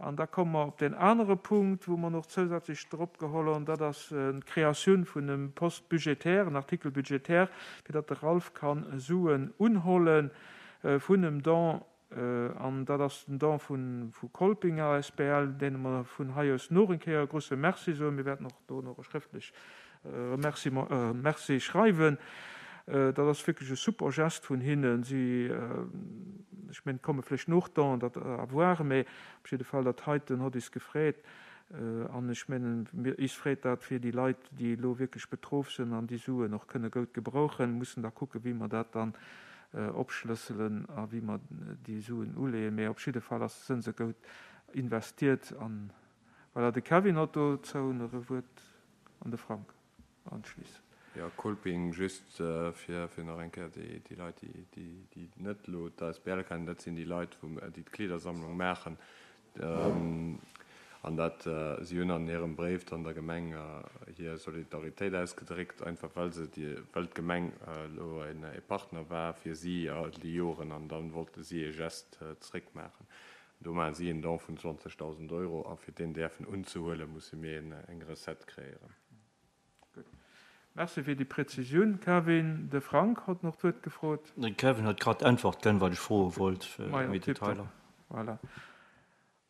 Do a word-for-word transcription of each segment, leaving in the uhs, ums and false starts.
An da komme mer op deen anere Punkt, wou mer och zousätzlech drop geholl hunn, dat ass d'Kreatioun vun engem Poste budgétaire, en Article budgétaire, fir datt de Ralph kann Suen unholle vun engem Don, an dat ass den Don vu Kolping A S B L, deene mer vun hei aus nach eng Kéier e grousse Merci soen. Mir wäerten och do nach e schrëftlech Remerciement, Merci schreiwen. Dat ass wierklech e super Gest vun hinnen. Si, ech mengen, komme vläicht nach Donen, dat à voir, mä op jidde Fall dat heiten huet is gefreet. An ech mengen, is freet dat fir déi Leit, déi elo wierklech betroff sinn an déi Suen och kënne goud gebrauchen, mussen da kucken, wéi mer dat dann opschlësselen a wéi mer déi Suen uleeën. Mä op jidde Fall ass, sinn se goud investiert. An voilà, de Kevin huet dozou nach e Wuert an de Frank anschließend. Jo, Kolping, just fir fir nach eng Kéier déi déi Leit, déi déi déi net elo d'A S B L kennen, dat sinn déi Leit, wou déi d'Kleedersammlung maachen. An dat si hunn an hirem Bréif dann der Gemeng hir Solidaritéit ausgedréckt, einfach well se déi well d'Gemeng elo en e Partner war fir si all déi Joren an dann wollte si e Gest zréckmaachen. Do maache si en Don vun zwanzegdausend Euro a fir deen däerfen unzehuelen, musse mir eng Recette kreéieren. Gutt. Merci fir déi Präzisioun, Kevin. De Frank huet nach d'Wuert gefrot. De Kevin huet grad d'Äntwert ginn, wat ech froe wollt, fir Majo, méi tipptopp. Detailer. Voilà.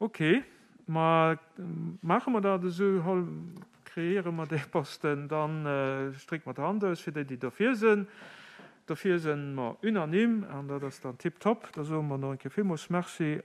Ok, ma maache mer dat esou, hol, kreéiere mer dee Posten, dann strécke mer d'Hand aus fir déi, déi derfir sinn. Dofir sinn mer unanime an dat ass dann tipptopp. Da soe mer nach eng Kéier villmools Merci.